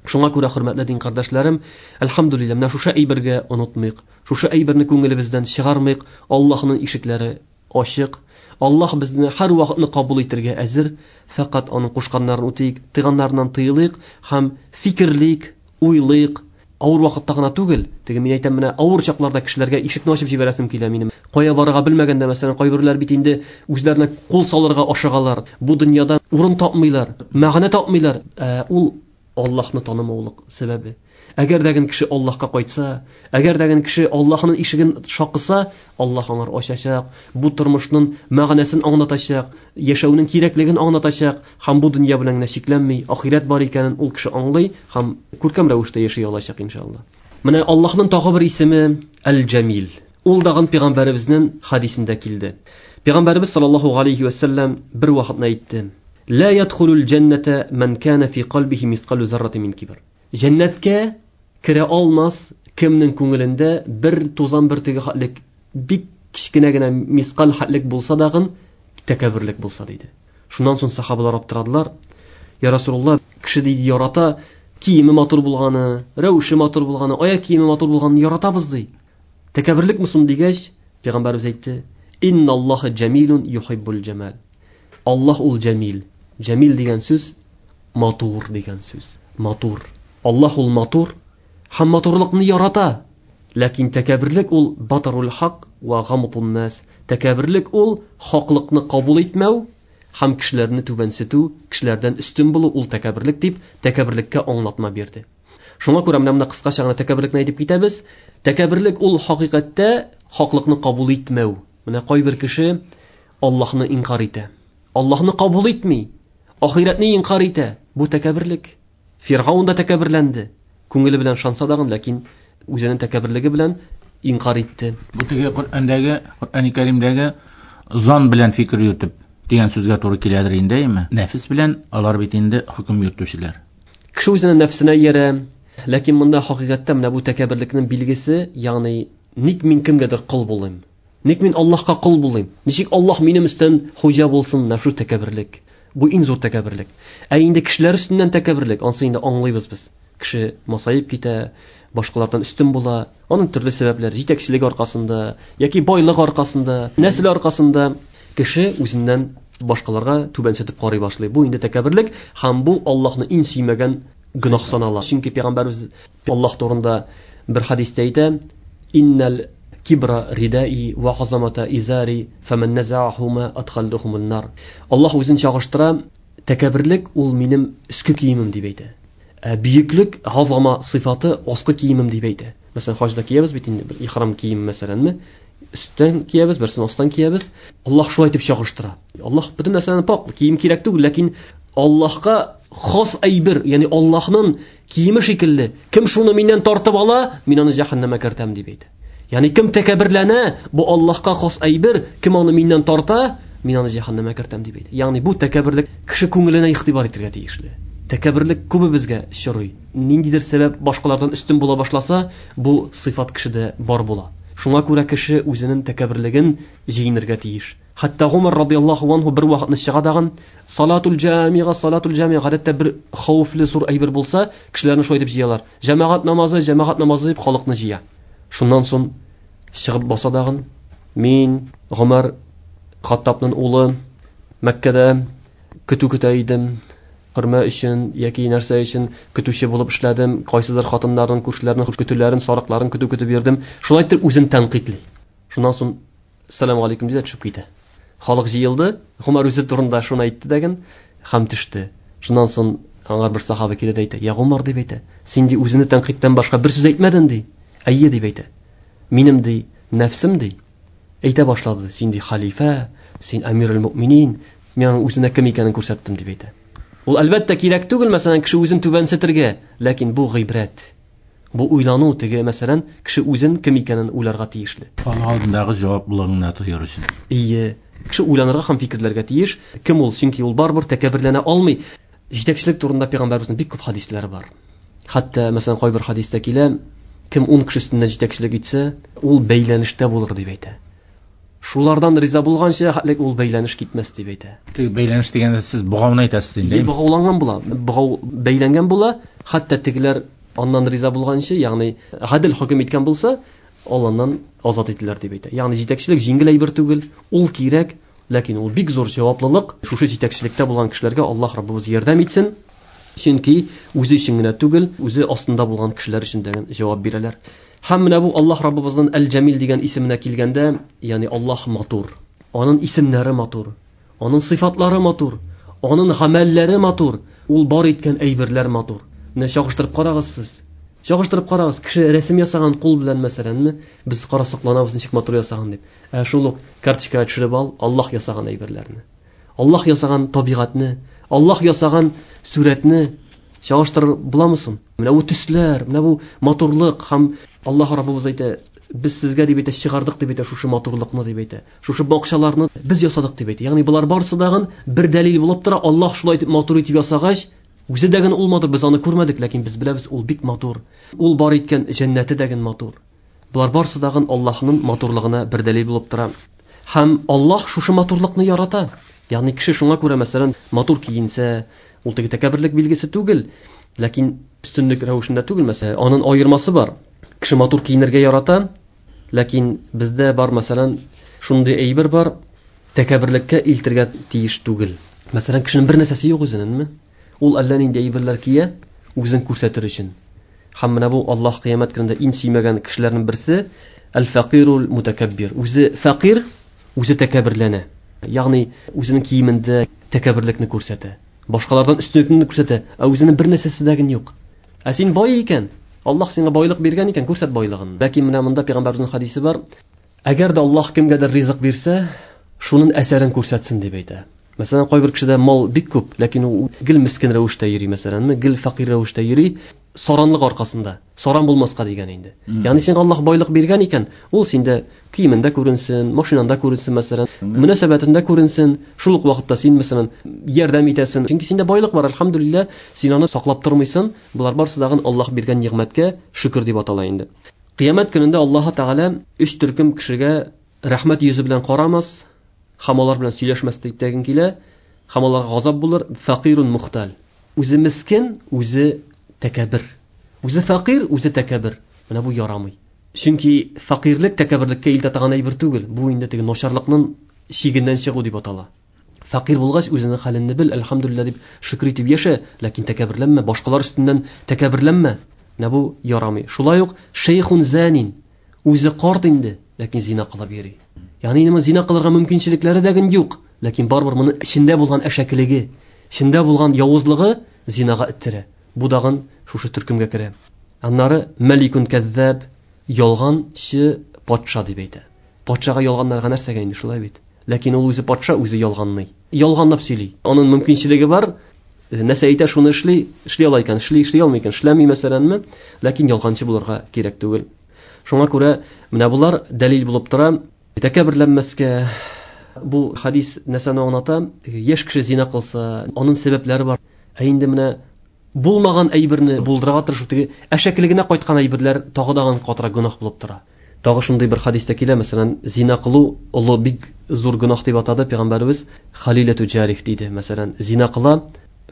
Шуңа күрә, хөрмәтле дин кардәшләрем, әлхәмдүлилләһ, менә шушы әйбергә онытмыйк, шушы әйберне күңелебездән чыгармыйк. Аллаһның ишекләре ачык. Аллаһ безне һәр вакытны кабул итәргә әзер. Фәкать аның кушканнарын үтик, тыйганнарыннан тыелыйк һәм фикерлик, уйлыйк. Авыр вакытта гына түгел, теге мин әйтәм, менә авыр чакларда кешеләргә ишекне ачып җибәрәсем килә минем. Кая барырга белмәгәндә, мәсәлән, кайберләр бит инде үзләренә кул салырга ашыгалар. Бу дөньяда урын тапмыйлар, мәгънә тапмыйлар. Ул Аллаһны танымаулык сәбәбе. Әгәр дә кеше Аллаһка кайтса, әгәр дә кеше Аллаһның ишеген шакыса, Аллаһ аңар ачачак, бу тормышның мәгънәсен аңлатачак, яшәүнең кирәклеген аңлатачак һәм бу дөнья белән генә чикләнми, ахирәт бар икәнен ул кеше аңлый һәм күркәм рәвештә яши алачак иншалла. Менә Аллаһның тагы бер исеме Әл-Җамил. Ул дагын пәйгамбәребезнең хадисендә килде. Пәйгамбәребез саллаллаһу алейхи ва саллям бер вакытны әйтте: "Ла ядхулул җәннәтә ман кана фи калбихи мисқалу заррати мин кибр." Җәннәткә керә алмас кемнең күңелендә бер тузан бөртеге хәтлек, бик кечкенә генә мисқал хәтлек булса дагын тәкәбберлек булса диде. Шуннан соң сахабалар аптырадылар. Я Расулуллаһ, кеше диде ярата киеме матур булганы, рәвеше матур булганы, аяк киеме матур булганын яратабыз ди. Тәкәбберлекме соң дигәч, пәйгамбәребез әйтте: "Инналлаһа җамилун юхиббул җамал." Аллаһ ул җамил. Җамил дигән сүз матур дигән сүз. Матур. Аллаһ ул матур һәм матурлыкны ярата. Ләкин тәкәбберлек ул батарул хак ва гамтун нас. Тәкәбберлек ул хаклыкны кабул итмәү һәм кешеләрне түбәнсетү, кешеләрдән өстен булу ул тәкәбберлек дип, тәкәбберлеккә аңлатма бирде. Шуңа күрә менә монда кыскача гына тәкәбберлекне әйтеп китәбез. Тәкәбберлек ул хакыйкатьтә хаклыкны кабул итмәү. Менә кайбер кеше Аллаһны инкар итә. Аллаһны кабул итми. Ахирәтне инкар итә. Бу тәкәбберлек. Фиргаун да тәкәбберләнде. Күңеле белән шанса дагын, ләкин үзенең тәкәбберлеге белән инкар итте. Бу теге Коръәндәге, Коръәни Кәримдәге зан белән фикер йөртеп дигән сүзгә туры киләдер инде, әйме? Нәфес белән алар бит инде хөкем йөртүчеләр. Кеше үзенең нәфсенә иярә, ләкин монда хакыйкатьтә менә бу тәкәбберлекнең билгесе, ягъни ник мин кемгәдер кол булыйм? Ник мин Аллаһка кол булыйм? Ничек Аллаһ минем өстән хуҗа булсын? Менә шу тәкәбберлек. Бу иң зур тәкәбберлек. Ә инде кешеләр өстеннән тәкәбберлек, ансы инде аңлыйбыз без. Кеше масаеп китә, башкалардан өстен була. Аның төрле сәбәпләр, җитәкчелек аркасында, яки байлык аркасында, нәсел аркасында кеше үзеннән башкаларга түбәнсетеп карый башлый. Бу инде тәкәбберлек һәм бу Аллаһны иң сөймәгән гөнаһ санала. Чөнки пәйгамбәребез Аллаһ турында бер хадистә әйтә: "Иннал кибра ридаи ва азамата изари, фаман назаахума адхалдухумун нар." Аллаһ үзен чагыштыра, тәкәбберлек ул минем өске киемем дип әйтә. Ә бөеклек азама сыйфаты аскы киемем дип әйтә. Мәсәлән, хаҗда киябез бит инде бер ихрам кием мәсәләнме? Өстән киябез, берсен астан киябез. Аллаһ шулай итеп чагыштыра. Аллаһ бөтен нәрсәдән пак, кием кирәк түгел, ләкин Аллаһка хас әйбер, ягъни Аллаһның киеме шикелле, кем шуны миннән тартып ала, мин аны җәһәннәмгә кертәм дип әйтә. Ягъни кем тәкәбберләнә, бу Аллаһка хас әйбер, кем аны миннән тарта, мин аны җәһәннәмгә кертәм дип әйтә. Ягъни бу тәкәбберлек кеше күңеленә игътибар итәргә тиешле. Тәкәбберлек күбебезгә очрый. Ниндидер сәбәп башкалардан өстен була башласа, бу сыйфат кешедә бар була. Шуңа күрә кеше үзенең тәкәбберлеген җиңәргә тиеш. Хәтта Гумар радияллаһу анһу бер вакытны чыга дагын, салатул җамига, салатул җамига гадәттә бер хәвефле зур әйбер булса, кешеләрне шулай итеп җыялар. Җәмәгать намазы, җәмәгать намазы дип халыкны җыя. Шуннан соң чыгып баса дагын, мин Гумар Хаттабның улы Мәккәдә көтү көтә идем. Хөрмә өчен яки нәрсә өчен көтүче булып эшләдем, кайсыдыр хатыннарның, күршеләрнең көтүләрен, сарыкларын көтү көтеп йөрдем. Шулай итеп үзен тәнкыйтьли. Шуннан соң ассаламу алейкум дип төшеп китә. Халык җыелды, Гумар үзе турында шуны әйтте дәген һәм төште. Шуннан соң аңар бер сахаба килә дә әйтә: "Я Гумар", дип әйтә. "Син ди үзеңне тәнкыйтьтән башка бер сүз әйтмәдең ди." "Әйе", дип әйтә. "Минем ди нәфсем ди әйтә башлады. Син ди халифә, син әмирул мөминин, мин аның үзенә кем икәнен күрсәттем", дип әйтә. Ул әлбәттә кирәк түгел, мәсәлән, кеше үзен түбәнсетергә, ләкин бу гыйбрәт. Бу уйлану теге, мәсәлән, кеше үзен кем икәнен уйларга тиешле. Аның алдындагы җаваплылыгын тоер өчен. Ие, кеше уйланырга һәм фикерләргә тиеш. Кем ул? Чөнки ул барыбер тәкәбберләнә алмый. Җитәкчелек турында пәйгамбәребезнең бик күп хадисләре бар. Хәтта, мәсәлән, кайбер хадистә килә, кем 10 кеше өстеннән җитәкчелек итсә, ул бәйләнештә булыр дип әйтә. Шулардан риза булганча, хәтлек ул бәйләнеш китмәс дип әйтә. Теге бәйләнеш дигәндә сез богауны әйтәсез инде. Богауланган була, богау бәйләнгән була, хәтта тегеләр аннан риза булганчы, ягъни гадел хөкем иткән булса, ул аннан азат ителер дип әйтә. Ягъни җитәкчелек җиңел әйбер түгел, ул кирәк, ләкин ул бик зур җаваплылык. Шушы җитәкчелектә булган кешеләргә Аллаһ Раббыбыз ярдәм итсен. Чөнки үзе өчен генә түгел, үзе астында булган кешеләр өчен дә җавап бирәләр. Һәм менә бу Аллаһ Раббыбызның Әл-Җамил дигән исеменә килгәндә, ягъни Аллаһ матур, аның исемнәре матур, аның сыйфатлары матур, аның гамәлләре матур, ул бар иткән әйберләр матур. Менә чагыштырып карагыз сез. Чагыштырып карагыз, кеше рәсем ясаган кул белән мәсәләнме, без карасакланабыз ничек матур ясаган дип. Ә шул ук карточкага төшереп ал, Аллаһ ясаган әйберләрне. Аллаһ ясаган табигатьне, Аллаһ ясаган сүрәтне чагыштырып буламы соң? Менә бу төсләр, менә бу матурлык һәм Аллаһ Раббыбыз әйтә, без сезгә дип әйтә, чыгардык дип әйтә шушы матурлыкны дип әйтә. Шушы бакчаларны без ясадык дип әйтә. Ягъни болар барысы дагын бер дәлил булып тора. Аллаһ шулай итеп матур итеп ясагач, үзе дә генә ул матур, без аны күрмәдек, ләкин без беләбез, ул бик матур. Ул бар иткән җәннәте дә генә матур. Болар барысы дагын Аллаһның матурлыгына бер дәлил булып тора. Һәм Аллаһ шушы матурлыкны ярата. Ягъни кеше шуңа күрә, мәсәлән, матур киенсә, ул теге тәкәбберлек билгесе түгел, ләкин өстенлек рәвешендә түгел, мәсәлән, аның аермасы бар. Кеше матур киенергә ярата, ләкин бездә бар, мәсәлән, шундый әйбер бар, тәкәбберлеккә илтергә тиеш түгел. Мәсәлән, кешенең бер нәрсәсе юк үзенеңме? Ул әллә нинди әйберләр кия, үзен күрсәтер өчен. Һәм менә бу Аллаһ кыямәт көнендә иң сөймәгән кешеләрнең берсе әл-фәкыйрул мутакаббир. Үзе фәкыйр, үзе тәкәбберләнә. Ягъни үзенең киемендә тәкәбберлекне күрсәтә. Башкалардан өстенлекне күрсәтә, ә үзенең бер нәрсәсе дә юк. Ә син бай икән, Аллаһ сиңа байлык биргән икән, күрсәт байлыгын. Ләкин менә монда пәйгамбәребезнең хадисе бар. Әгәр дә Аллаһ кемгәдер ризык бирсә, шуның әсәрен күрсәтсен дип әйтә. Мәсәлән, кайбер кешедә мал бик күп, ләкин ул гел мискин рәвештә йөри, мәсәләнме, гел фәкыйрь рәвештә йөри, саранлык аркасында. Саран булмаска дигән инде. Ягъни сиңа Аллаһ байлык биргән икән, ул синдә киемендә күренсен, машинанда күренсен, мәсәлән, мөнәсәбәтендә күренсен. Шул ук вакытта син, мәсәлән, ярдәм итәсен. Чөнки синдә байлык бар, әлхәмдүлилләһ, син аны саклап тормыйсың. Болар барысы дагын Аллаһ биргән нигъмәткә шөкер дип атала инде. Кыямәт көнендә Аллаһ Тәгалә өч төркем кешегә рәхмәт йөзе белән карамас, һәм алар белән сөйләшмәс дип тәген килә, һәм аларга газап булыр. Фәкыйрун мухтал. Үзе мискин, үзе тәкәббер. Үзе фәкыйрь, үзе тәкәббер. Менә бу ярамый. Чөнки фәкыйрьлек тәкәбберлеккә илтә торган әйбер түгел. Бу инде теге начарлыкның чигеннән чыгу дип атала. Фәкыйрь булгач, үзенең хәлеңне бел, әлхәмдүлилләһ дип шөкер итеп яшә, ләкин тәкәбберләнмә, башкалар өстеннән тәкәбберләнмә. Менә бу ярамый. Шулай ук шейхун занин, үзе карт инде, ләкин зина кылып йөри. Ягъни инде зина кылырга мөмкинчелекләре дә юк, ләкин барыбер моның эчендә булган әшәкелеге, эчендә булган явызлыгы зинага эттерә. Бу дагын шушы төркемгә керә. Аннары мәликун кәззаб, Ялганчы патша дип әйтә. Патшага ялганнарга нәрсәгә инде, шулай бит? Ләкин ул үзе патша, үзе ялганлый. Ялганлап сөйли. Аның мөмкинчелеге бар. Нәрсә әйтә, шуны эшли, эшли ала икән, эшли, эшли алмый икән, эшләми мәсәләнме? Ләкин ялганчы булырга кирәк түгел. Шуңа күрә менә болар дәлил булып тора. Тәкәбберләнмәскә. Бу хадис нәрсәне аңлата? Яшь кеше зина кылса, аның сәбәпләре бар. Ә инде менә булмаган әйберне булдырырга тырышу, теге әшәкелегенә кайткан әйберләр тагы да катырак гөнаһ булып тора. Тагы шундый бер хадистә килә, мәсәлән, зина кылу олы бик зур гөнаһ дип атады пәйгамбәребез. Халиләту җарих диде. Мәсәлән, зина кыла,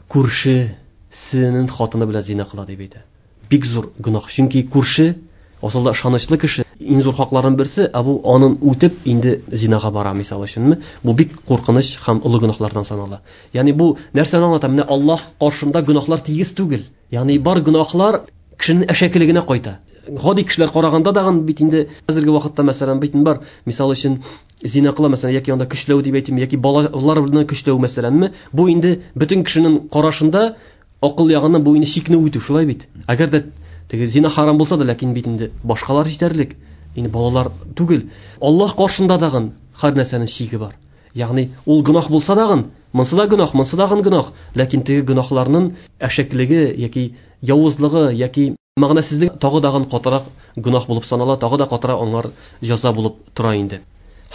күршесенең хатыны белән зина кыла дип әйтә. Бик зур гөнаһ. Чөнки күрше асылда ышанычлы кеше, иң зур хакларның берсе, ә бу анын үтеп инде зинага бара, мисал өченме? Бу бик куркыныч һәм олы гөнаһлардан санала. Ягъни бу нәрсәне аңлата? Менә Аллаһ каршында гөнаһлар тигез түгел. Ягъни бар гөнаһлар кешенең әшәкелегенә кайта. Гади кешеләр караганда дагын бит инде хәзерге вакытта мәсәлән бит бар, мисал өчен зина кыла мәсәлән, яки анда көчләү дип әйтим, яки балаларны көчләү мәсәләнме? Бу инде бөтен кешенең карашында акыл ягыннан бу инде чикне үтү, шулай бит. Әгәр дә теге зина харам булса да, ләкин бит инде башкалар җитәрлек, инде балалар түгел. Аллаһ каршында дагын һәр нәрсәнең чиге бар. Ягъни ул гөнаһ булса дагын, монсы да гөнаһ, монсы дагын гөнаһ, ләкин теге гөнаһларның әшәклеге яки явызлыгы яки мәгънәсезлеге тагы дагын катырак гөнаһ булып санала, тагы да катырак аңар җәза булып тора инде.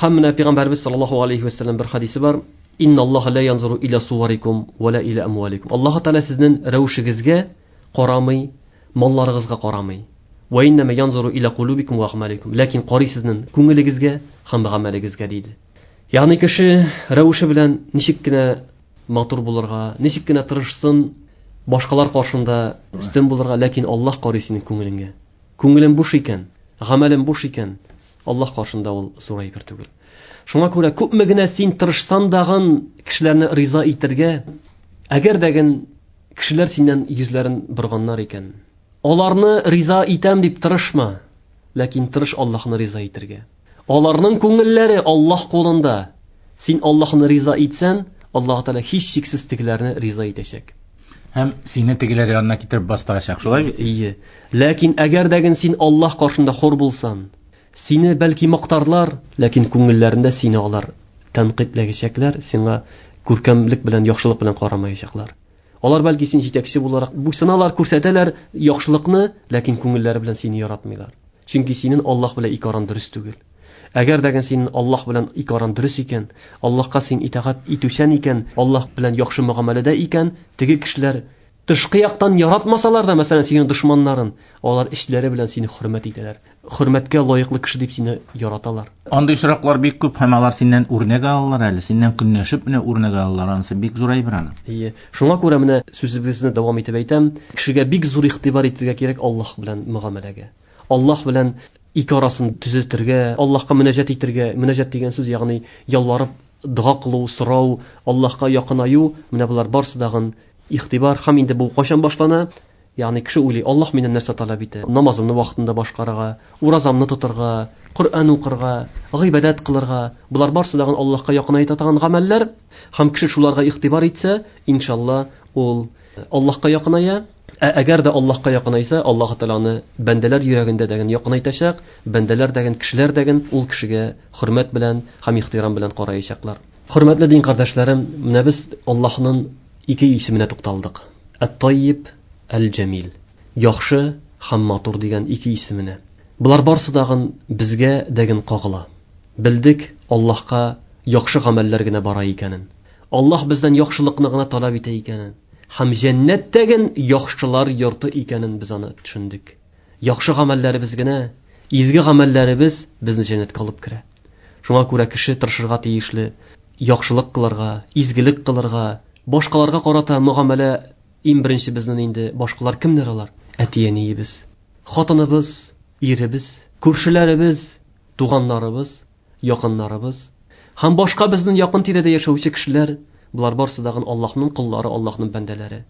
Һәм менә Пәйгамбәрбез саллаллаһу алейхи ва саллям бер хадисе бар. Инналлаһа ла янзуру иля суарикум ва ла иля амваликум. Аллаһ Тааля сезнең рәвешегезгә карамый, малларыгызга карамый. Ва иннама янзуру иля кулубикум ва амаликум. Ләкин карый сезнең күңелегезгә һәм гамәлегезгә диде. Ягъни кеше рәвеше белән ничек кенә матур булырга, ничек кенә тырышсын, башкалар каршында өстен булырга, ләкин Аллаһ карый синең күңелеңә. Күңелең буш икән, гамәлең буш икән, Аллаһ каршында ул зур әйбер түгел. Шуңа күрә күпме генә син тырышсан дагын кешеләрне риза итергә, әгәр дәген кешеләр синнән йөзләрен борганнар икән, аларны риза итәм дип тырышма, ләкин тырыш Аллаһны риза итергә. Аларның күңелләре Аллаһ кулында. Син Аллаһны риза итсән, Аллаһ Тәгалә һичшиксез тегеләрне риза итәчәк. Һәм сине тегеләр янына китереп бастырачак, шулай бит? Ие. Ләкин әгәр дәген син Аллаһ каршында хур булсан, сине бәлки мактарлар, ләкин күңелләрендә сине алар тәнкыйтьләгәчәкләр, сиңа күркәмлек белән, яхшылык белән карамаячаклар. Алар бәлки син җитәкче буларак буйсыналар, күрсәтәләр яхшылыкны, ләкин күңелләре белән сине яратмыйлар. Чөнки синең Аллаһ белән ике аран дөрес түгел. Әгәр дә синең Аллаһ белән ике аран дөрес икән, Аллаһка син итагать итүчән икән, Аллаһ белән яхшы мөгамәләдә икән, теге кешеләр тышкы яктан яратмасалар да, мәсәлән, синең дошманнарын, алар эчләре белән сине хөрмәт итәләр. Хөрмәткә лаеклы кеше дип сине яраталар. Андый очраклар бик күп һәм алар синнән үрнәк алалар әле, синнән көнләшеп менә үрнәк алалар, анысы бик зур әйбер аны. Ие. Шуңа күрә менә сүзебезне дәвам итеп әйтәм, кешегә бик зур игътибар итәргә кирәк Аллаһ белән мөгамәләгә. Аллаһ белән ике арасын төзәтергә, Аллаһка мөнәҗәт итергә, мөнәҗәт дигән сүз, ягъни ялварып дога кылу, сорау, Аллаһка якынаю, менә болар барысы дагын игътибар. Һәм инде бу кайчан башлана? Ягъни кеше уйлый, Аллаһ миннән нәрсә таләп итә? Намазымны вакытында башкарырга, уразамны тотырга, Коръән укырга, гыйбадәт кылырга. Болар барысы дагын Аллаһка якынайта торган гамәлләр. Һәм кеше шуларга игътибар итсә, иншалла, ул Аллаһка якыная. Ә әгәр дә Аллаһка якынайса, Аллаһ Тәгалә аны бәндәләр йөрәгендә дәген якынайтачак, бәндәләр дәген, кешеләр дәген ул кешегә хөрмәт белән һәм ихтирам белән караячаклар. Хөрмәтле дин кардәшләрем, менә без Аллаһның ике исеменә тукталдык. Әт-Таййиб, Әл-Җәмил. Яхшы һәм матур дигән ике исеменә. Болар барысы дагын безгә дәген кагыла. Белдек Аллаһка яхшы гамәлләр генә бара икәнен. Аллаһ бездән яхшылыкны гына таләп итә икәнен. Һәм җәннәттәген яхшылар йорты икәнен без аны төшендек. Яхшы гамәлләребез генә, изге гамәлләребез безне җәннәткә алып керә. Шуңа күрә кеше тырышырга тиешле, яхшылык кылырга, изгелек кылырга, башкаларга карата мөгамәлә иң беренче безнең инде башкалар кемнәр алар? Әти-әниебез, хатыныбыз, иребез, күршеләребез, туганнарыбыз, якыннарыбыз һәм башка безнең якын тирәдә яшәүче кешеләр, болар барысы дагын Аллаһның коллары, Аллаһның бәндәләре.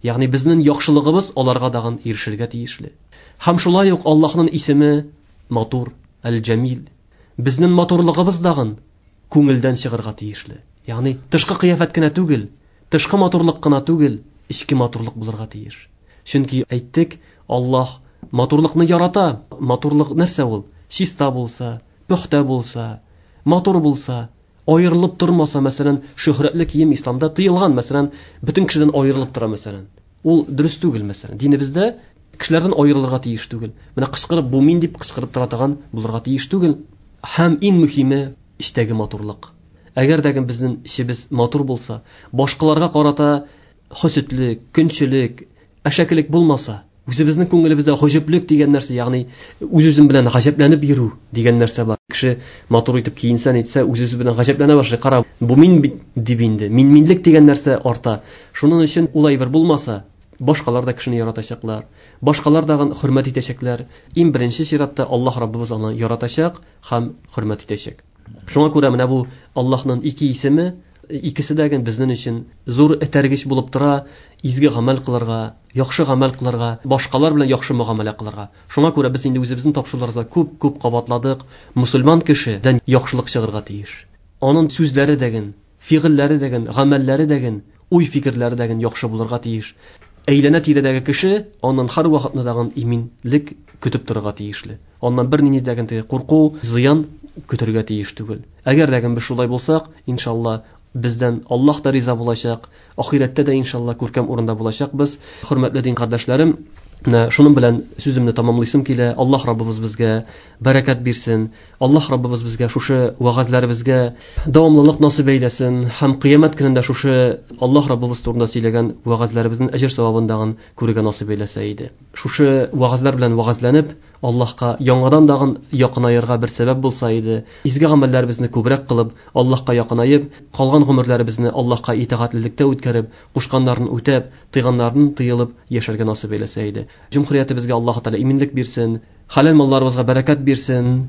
Ягъни безнең яхшылыгыбыз аларга дагын ирешергә тиешле. Һәм шулай ук Аллаһның исеме матур, Әл-Җәмил. Безнең матурлыгыбыз дагын күңелдән чыгарга тиешле. Ягъни тышкы кыяфәт кенә түгел, тышкы матурлык кына түгел, эчке матурлык булырга тиеш. Чөнки әйттек, Аллаһ Матурлыкны ярата. Матурлык нәрсә ул? Чиста булса, пөхтә булса, матур булса, аерылып тормаса, мәсәлән, шөһрәтле кием исламда тыелган, мәсәлән, бөтен кешедән аерылып тора, мәсәлән. Ул дөрес түгел, мәсәлән. Динебездә кешеләрдән аерылырга тиеш түгел. Менә кычкырып бу мин дип кычкырып тора торган булырга тиеш түгел. Һәм иң мөһиме эчтәге матурлык. Әгәр дә безнең эчебез матур булса, башкаларга карата хөсетлек, көнчелек, әшәкелек булмаса, үзебезнең күңелебездә гаҗәплек дигән нәрсә, ягъни үз-үзем белән гаҗәпләнеп йөрү дигән нәрсә бар. Кеше матур итеп киенсә, нитсә, үз-үзе белән гаҗәпләнә башлый. Кара, бу мин бит дип инде. Мин-минлек дигән нәрсә арта. Шуның өчен ул әйбер булмаса, башкалар да кешене яратачаклар, башкалар дагын хөрмәт итәчәкләр. Иң беренче чиратта Аллаһ Раббыбыз аны яратачак һәм хөрмәт итәчәк. Шуңа күрә менә бу Аллаһның ике исеме, икесе дә безнең өчен зур этәргеч булып тора, изге гамәл кылырга, яхшы гамәл кылырга, башкалар белән яхшы мөгамәлә кылырга. Шуңа күрә без инде үзебезнең тапшыруларыбызда күп-күп кабатладык, мусульман кешедән яхшылык чыгарга тиеш. Аның сүзләре дәген, фигыльләре дәген, гамәлләре дәген, уй-фикерләре дәген яхшы булырга тиеш. Әйләнә тирәдәге кеше аннан һәр вакытны дагын иминлек көтеп торырга тиешле. Аннан бер нинди дәген теге курку, зыян көтергә тиеш түгел. Әгәр дәген без шулай булсак, иншалла, бездән Аллаһ та риза булачак, ахирәттә дә иншалла күркәм урында булачакбыз. Хөрмәтле дин кардәшләрем, менә шуның белән сүземне тамамлыйсым килә. Аллаһ Раббыбыз безгә бәрәкәт бирсен. Аллаһ Раббыбыз безгә шушы вәгазьләребезгә дәвамлылык насыйп әйләсен һәм кыямәт көнендә шушы Аллаһ Раббыбыз турында сөйләгән вәгазьләребезнең әҗер савабын дагын күрергә насыйп әйләсә иде. Шушы вәгазьләр белән вәгазьләнеп, Аллаһка яңадан дагын якынаерга бер сәбәп булса иде. Изге гамәлләребезне күбрәк кылып, Аллаһка якынаеп, калган гомерләребезне Аллаһка итагатьлелектә үткәреп, кушканнарын үтәп, тыйганнарын тыелып яшәргә насыйп әйләсә иде. Җөмһүриятебезгә Аллаһ Тәгалә иминлек бирсен, хәләл малларыбызга бәрәкәт бирсен.